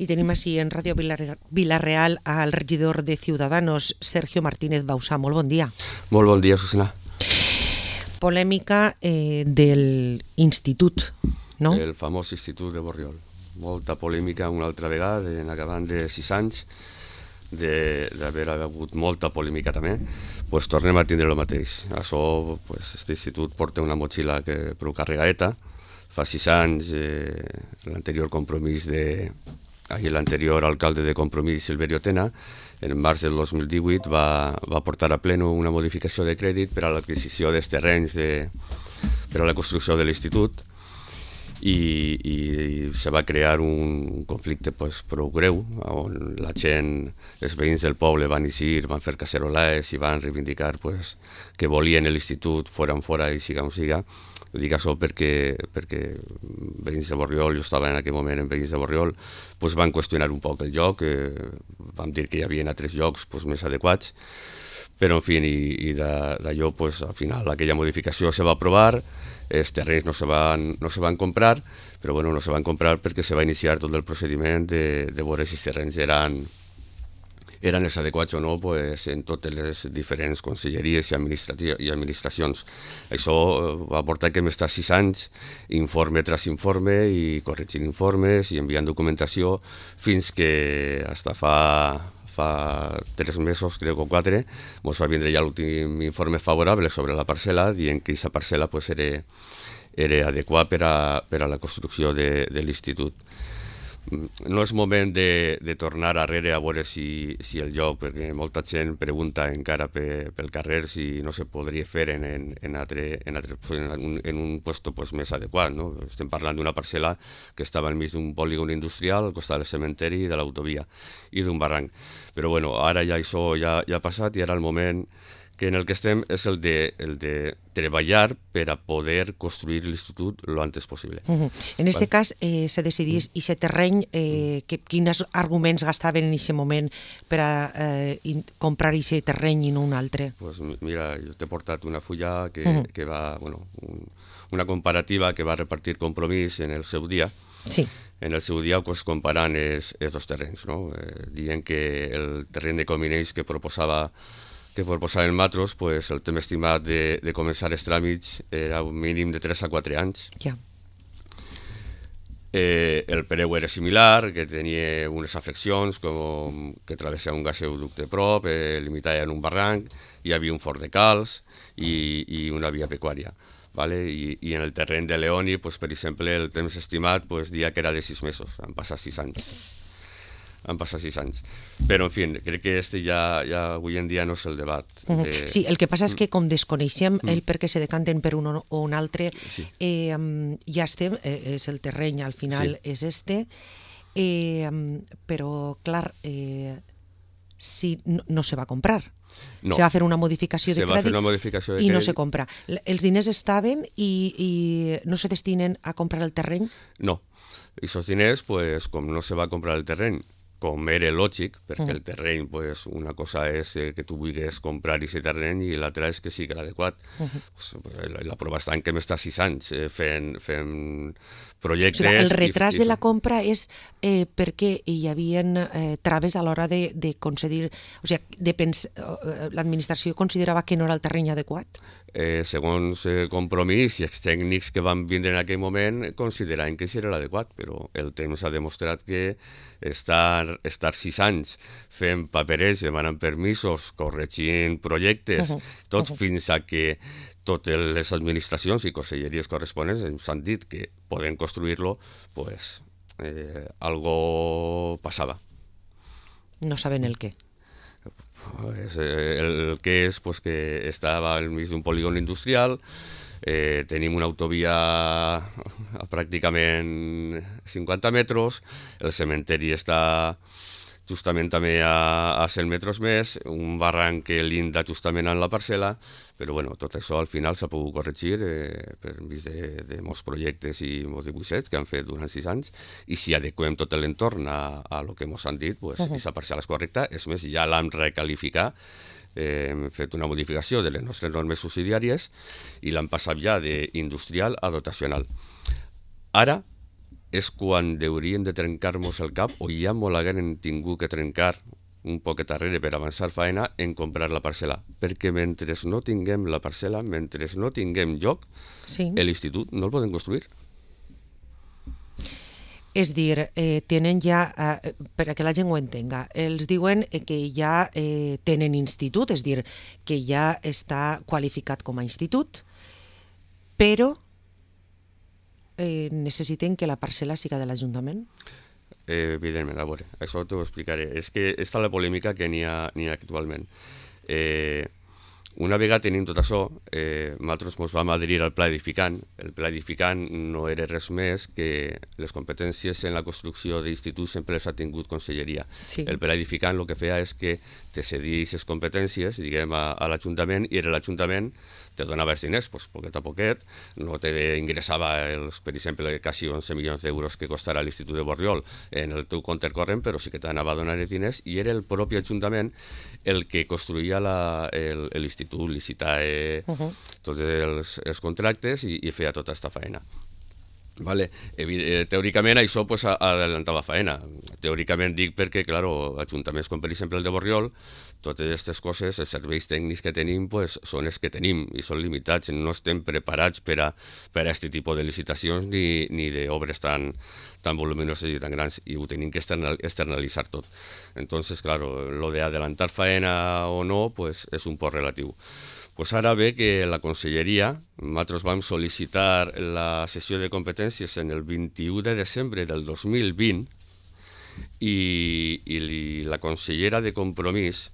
Y tenemos así en Radio Vila-real al regidor de Ciudadanos, Sergio Martínez Bausá. Molt bon dia. Molt bon dia, Susana. Polèmica del institut, no? El famós Institut de Borriol. Molta polèmica una altra vegada, en acabant de 6 anys, d'haver hagut molta polèmica també, pues tornem a tindre el mateix. Això, pues, este institut porta una motxilla prou carregaeta. Fa 6 anys, l'anterior compromís l'anterior alcalde de Compromís, Silverio Tena, en març del 2018 va portar a pleno una modificació de crèdit per a l'adquisició dels terrenys per a la construcció de l'institut i se va crear un conflicte prou greu on la gent, els veïns del poble van eixir, van fer cacerolades i van reivindicar que volien l'institut fora i siga on siga. Ho dic això perquè veïns de Borriol, jo estava en aquell moment en veïns de Borriol, van qüestionar un poc el lloc, vam dir que hi havia altres llocs més adequats, però en fi, i d'allò al final aquella modificació se va aprovar, els terrenys no se van comprar, però bueno, no se van comprar perquè se va iniciar tot el procediment de veure si els terrenys eren els adequats o no en totes les diferents conselleries i administracions. Això va portar que hem estat 6 anys, informe tras informe, i corregint informes i enviant documentació, fins que hasta fa 3 mesos, crec, o 4, ens va vindre ja l'últim informe favorable sobre la parcel·la, dient que aquesta parcel·la era adequada per a la construcció de l'institut. No és moment de tornar arrere a veure si el lloc, perquè molta gent pregunta encara pel carrer si no se podria fer en un puesto més adequat. No? Estem parlant d'una parcel·la que estava al mig d'un polígon industrial, al costat del cementeri i de l'autovia i d'un barranc. Però bueno, ara ja això ja ha passat i ara el moment que en el que estem és el de treballar per a poder construir l'institut lo antes possible. En este cas, se decidís aquest terreny, quins arguments gastaven en aquest moment per a comprar aquest terreny i no un altre? Pues mira, jo t'he portat una fulla que va, una comparativa que va repartir Compromís en el seu dia. Sí. En el seu dia, comparant els dos terrenys, no? Dient que el terreny de Comineix que proposava el Matros, el temps estimat de començar els tràmits era un mínim de 3 a 4 anys. Ja. El preu era similar, que tenia unes afeccions, com que travessava un gasoducte prop, limitava en un barranc, hi havia un forn de calç i una via pecuària. Vale? I en el terreny de Leoni, per exemple, el temps estimat dia que era de 6 mesos, han passat 6 anys. Però, en fi, crec que ja avui en dia no és el debat. Sí, el que passa és que com desconeixem el per què se decanten per un o un altre, ja estem, és el terreny, al final és però, clar, si no se va comprar. No. Se va fer una modificació de crèdit i no se compra. Els diners estaven i no se destinen a comprar el terreny? No. I aquests diners, com no se va comprar el terreny, com era lògic, perquè el terreny, una cosa és que tu vulguis comprar aquest terreny i l'altra és que sigui l'adequat. La prova està en que hem estat 6 anys fent projectes... O sigui, el retras de la compra és perquè hi havia traves a l'hora de concedir... O sigui, l'administració considerava que no era el terreny adequat? Segons Compromís i els tècnics que van vindre en aquell moment consideraven que això era l'adequat, però el temps ha demostrat que estar 6 anys fent paperets, demanant permisos, corregint projectes, tot fins a que totes les administracions i conselleries corresponents ens han dit que poden construir-lo, algo passava. No saben el què. El que és que estava al mig d'un polígon industrial, tenim una autovia a pràcticament 50 metres, el cementeri està justament també a 100 metres més, un barranc que linda justament en la parcel·la, però tot això al final s'ha pogut corregir per mig de molts projectes i molts dibuixets que han fet durant 6 anys, i si adequem tot l'entorn a lo que ens han dit, aquesta parcel·la és correcta. És més, ja l'hem recalificat, hem fet una modificació de les nostres normes subsidiàries i l'hem passat ja d'industrial a dotacional. Ara és quan hauríem de trencar-nos el cap, o ja molt hagueren tingut que trencar un poquet darrere per avançar faena en comprar la parcel·la, perquè mentre no tinguem la parcel·la, mentre no tinguem lloc, l'institut no el podem construir. És dir, tenen ja, perquè la gent ho entenga, els diuen que ja tenen institut, és dir, que ja està qualificat com a institut, però necessiten que la parcel·la siga de l'Ajuntament? Evidentment, a veure, això t'ho explicaré. És que està la polèmica que n'hi ha actualment. Una vegada tenim tot això, nosaltres ens vam adherir al pla edificant. El pla edificant no era res més que les competències en la construcció d'instituts sempre les ha tingut Conselleria. Sí. El pla edificant el que feia és que te cedia aquestes competències, diguem, a l'Ajuntament, i era l'Ajuntament te donava els diners, pues, poquet a poquet, no te ingressava, per exemple, quasi 11 milions d'euros que costarà l'Institut de Borriol en el teu compte corrent, però sí que t'anava a donar els diners, i era el propi Ajuntament el que construïa l'institut, licitava tots els contractes i feia tota aquesta feina. Vale. Teòricament això pues, adelantava faena. Teòricament dic perquè, clar, ajuntaments com per exemple el de Borriol, totes aquestes coses, els serveis tècnics que tenim pues, són els que tenim i són limitats, no estem preparats per a aquest tipus de licitacions ni d'obres tan voluminoses i tan grans, i ho tenim que externalitzar tot. Entonces, claro, lo de adelantar faena o no pues, és un poc relatiu. Pues ara ve que la Conselleria, nosaltres vam sol·licitar la sessió de competències en el 21 de desembre del 2020 i la consellera de Compromís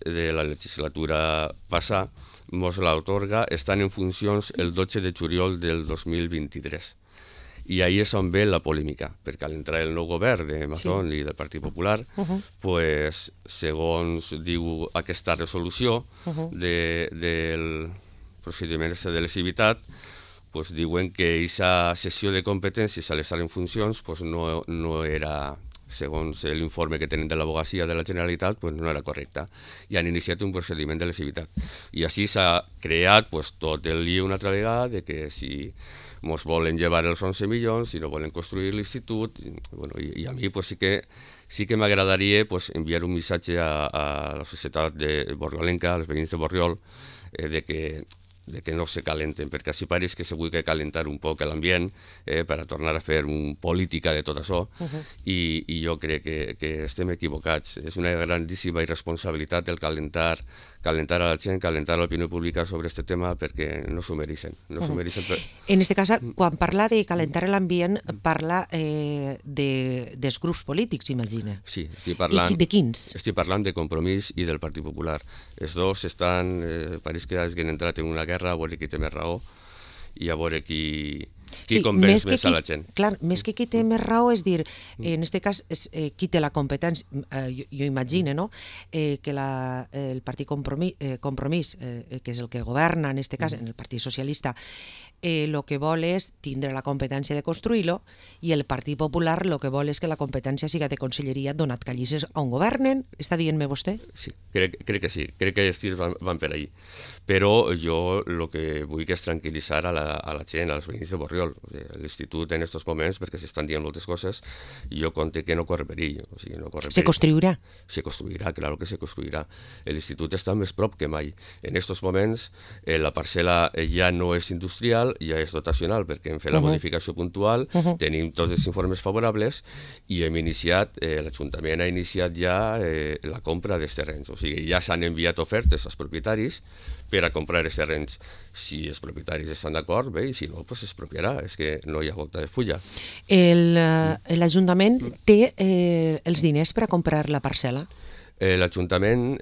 de la legislatura passada mos l'atorga estant en funcions el 12 de juliol del 2023. I ahí és on ve la polèmica, perquè a l'entrar el nou govern de Mazón i del Partit Popular, pues, segons diu aquesta resolució del procediment de lesivitat, pues, diuen que aquesta sessió de competències a l'estar en funcions pues, no era, segons l'informe que tenen de l'Advocacia de la Generalitat, pues, no era correcta. I han iniciat un procediment de lesivitat. I així s'ha creat pues, tot el lío una altra vegada de que si ens volen llevar els 11 milions, si no volen construir l'institut, i a mi pues, sí que m'agradaria pues, enviar un missatge a la societat de borriolenca, als veïns de Borriol, de que no se calenten, perquè així pareix que se vulgui calentar un poc l'ambient per a tornar a fer política de tot això, i jo crec que estem equivocats. És una grandíssima irresponsabilitat el calentar a la gent, calentar l'opinió pública sobre aquest tema, perquè no s'ho mereixen. En aquest cas, quan parla de calentar l'ambient, parla dels grups polítics, imagina. Sí, estic parlant... I de quins? Estic parlant de Compromís i del Partit Popular. Els dos estan, pareix que hagin entrat en una guerra, a veure qui té més raó i a veure qui convenç més a la gent. Clar, més que qui té més raó, és dir, en aquest cas, qui té la competència, jo imagino, no?, que el Partit Compromís, que és el que governa, en aquest cas, en el Partit Socialista, el que vol és tindre la competència de construir-lo, i el Partit Popular el que vol és que la competència siga de conselleria, donat que allí és on governen. Està dient-me vostè? Sí, crec que sí. Crec que els tirs van per ahí. Però jo el que vull és tranquil·litzar a la gent, als veïns de Borriol. L'institut en aquests moments, perquè s'estan dient moltes coses, jo conté que no corre perill. Se construirà? Se construirà, claro que se construirà. L'institut està més prop que mai. En aquests moments la parcel·la ja no és industrial, ja és dotacional, perquè hem fet la modificació puntual, tenim tots els informes favorables i l'Ajuntament ha iniciat ja la compra dels terrenys. O sigui, ja s'han enviat ofertes als propietaris per a comprar els terrenys. Si els propietaris estan d'acord, bé, i si no, doncs es expropiarà. És que no hi ha volta de fulla. L'Ajuntament té els diners per a comprar la parcel·la? L'Ajuntament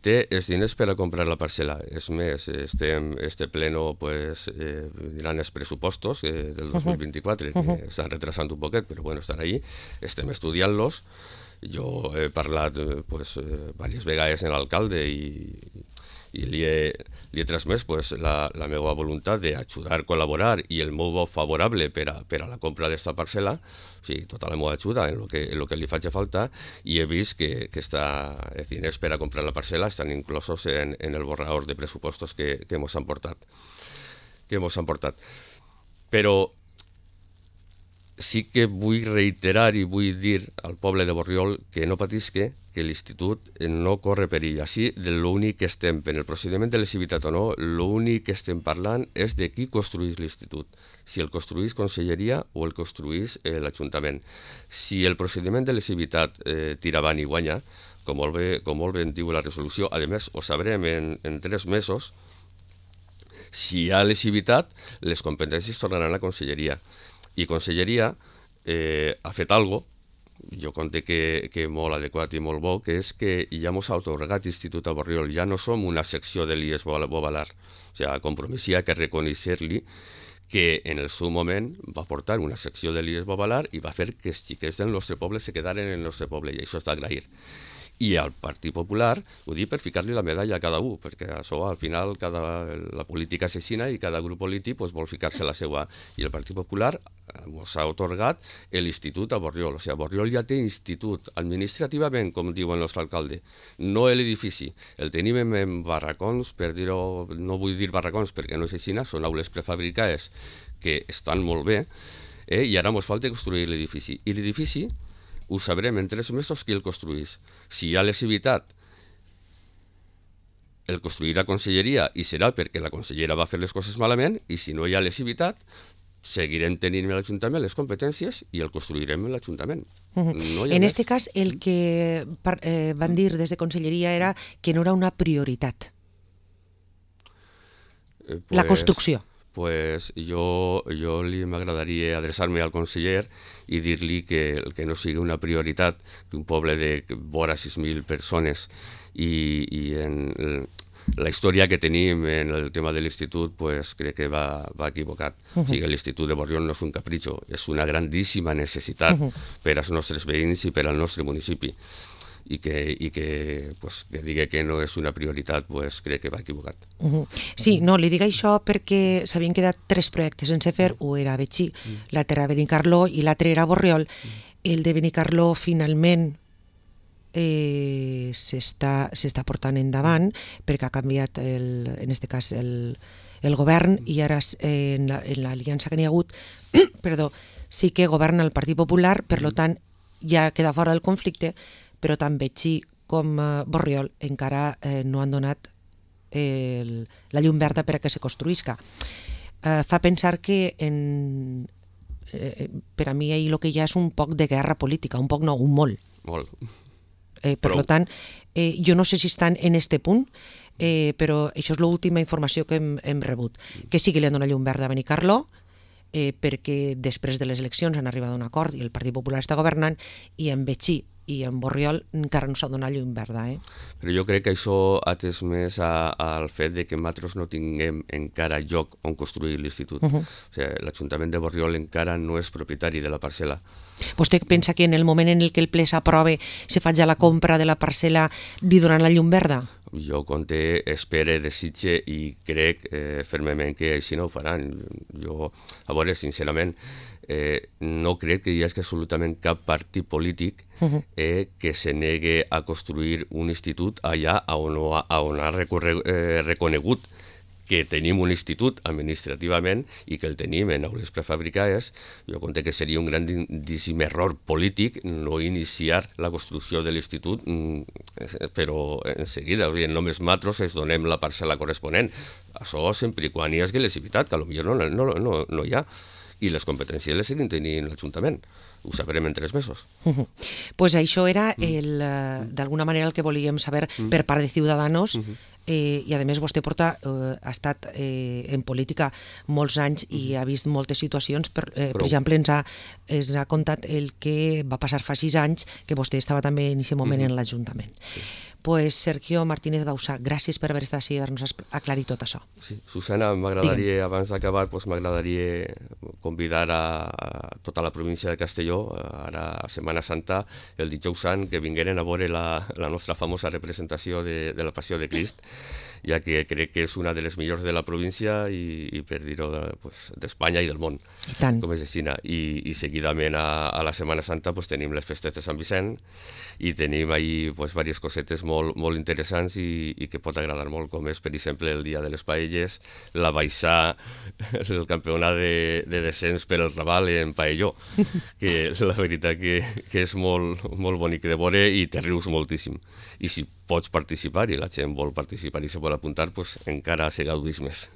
té els diners per a comprar la parcel·la. És més, este pleno diran els pressupostos del 2024, que estan retrasant un poquet, però bueno, estan ahí, estem estudiant-los. Jo he parlat diverses vegades amb l'alcalde i li he transmès la meva voluntat d'ajudar, col·laborar i el meu vot favorable per a la compra d'aquesta parcel·la, o sigui, tota la meva ajuda en el que li faci falta, i he vist que els diners per a comprar la parcel·la estan inclosos en el borrador de pressupostos que ens han portat. Però sí que vull reiterar i vull dir al poble de Borriol que no patisca, que l'institut no corre perill. Així, l'únic que estem, en el procediment de lesivitat o no, l'únic que estem parlant és de qui construís l'institut. Si el construís Conselleria o el construís l'Ajuntament. Si el procediment de lesivitat tira avant i guanya, com molt bé en diu la resolució, a més ho sabrem en 3 mesos, si hi ha lesivitat, les competències tornaran a Conselleria. I Conselleria ha fet algo, jo conté que molt adequat i molt bo, que és que ja mos ha atorgat Institut a Borriol, ja no som una secció de l'IES Bovalar. O sigui, a Compromís hi ha que reconèixer-li que en el seu moment va portar una secció de l'IES Bovalar i va fer que els xiquets del nostre poble se quedaren en el nostre poble, i això és d'agrair. I al Partit Popular, ho dic per ficar-li la medalla a cada un, perquè això al final la política assassina i cada grup polític vol ficar-se la seva. I el Partit Popular ens ha atorgat l'institut a Borriol. O sigui, Borriol ja té institut administrativament, com diu el nostre alcalde, no l'edifici. El tenim en barracons, per dir-ho, no vull dir barracons perquè no és així, són aules prefabricades que estan molt bé, i ara ens falta construir l'edifici. I l'edifici ho sabrem en 3 mesos qui el construís. Si hi ha lesivitat, el construirà Conselleria i serà perquè la consellera va fer les coses malament, i si no hi ha lesivitat, seguirem tenint a l'Ajuntament les competències i el construirem a l'Ajuntament. En aquest cas, el que van dir des de Conselleria era que no era una prioritat. La construcció. Pues jo m'agradaria adreçar-me al conseller i dir-li que no sigui una prioritat que un poble de vora 6.000 persones i en la història que tenim en el tema de l'institut, pues, crec que va equivocat. O sigui, l'institut de Borriol no és un capritxo, és una grandíssima necessitat per als nostres veïns i per al nostre municipi. I que digui que no és una prioritat, pues, crec que va equivocat. Sí, no, li dic això perquè s'havien quedat 3 projectes sense fer, un era a Betxí, l'altre era a Benicarló i l'altre era a Borriol. El de Benicarló finalment s'està portant endavant perquè ha canviat, en aquest cas, el govern, i ara en l'aliança que n'hi ha hagut sí que governa el Partit Popular, per tant ja queda fora del conflicte, però tant Betxí com Borriol encara no han donat la llum verda per a que se construïsca. Fa pensar que per a mi el que hi ha és un poc de guerra política, un poc no, un molt. Molt. Per tant, jo no sé si estan en este punt, però això és l'última informació que hem rebut. Que sí que li han donat llum verda a Benicarló, perquè després de les eleccions han arribat a un acord i el Partit Popular està governant, i en Betxí i en Borriol encara no s'ha donat llum verda. Però jo crec que això ha atès més al fet de que nosaltres no tinguem encara lloc on construir l'institut. O sigui, l'Ajuntament de Borriol encara no és propietari de la parcel·la. Vostè pensa que en el moment en què el ple s'aprove se faci la compra de la parcel·la li donaran la llum verda? Jo compte, espere, desitge i crec fermament que així no ho faran. Jo, a veure, sincerament, no crec que hi hagi absolutament cap partit polític que se negue a construir un institut allà on ha reconegut que tenim un institut administrativament i que el tenim en aules prefabricades. Jo conté que seria un grandíssim error polític no iniciar la construcció de l'institut, però en seguida, només nosaltres es donem la parcel·la corresponent. Això sempre i quan hi hagi lesivitat, que potser no hi ha. I les competències les seguim tenint l'Ajuntament. Ho sabrem en 3 mesos. Pues això era, d'alguna manera, el que volíem saber per part de Ciudadanos, i a més vostè ha estat en política molts anys i ha vist moltes situacions. Per exemple, ens ha contat el que va passar fa 6 anys, que vostè estava també en aquest moment en l'Ajuntament. Pues Sergio Martínez Bausà, gràcies per haver estat així i haver-nos aclarit tot això. Sí, Susana, m'agradaria, abans d'acabar, m'agradaria convidar a tota la província de Castelló, ara a Setmana Santa, el dijous sant, que vingueren a veure la nostra famosa representació de la Passió de Crist, ja que crec que és una de les millors de la província i per dir-ho, pues, d'Espanya i del món, com és de Xina. I seguidament a la Setmana Santa pues, tenim les festes de Sant Vicent i tenim ahí pues, diverses cosetes molt interessants i que pot agradar molt, com és, per exemple, el Dia de les Paelles, la baixar, el campionat de descens per el Raval en Paelló, que la veritat que és molt bonic de veure i te rius moltíssim. I si pots participar i la gent vol participar i se vol apuntar, pues encara se gaudís més.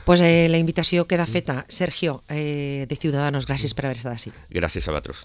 Pues la invitació queda feta. Sergio, de Ciudadanos, gràcies per haver estat així. Gràcies a vosaltres.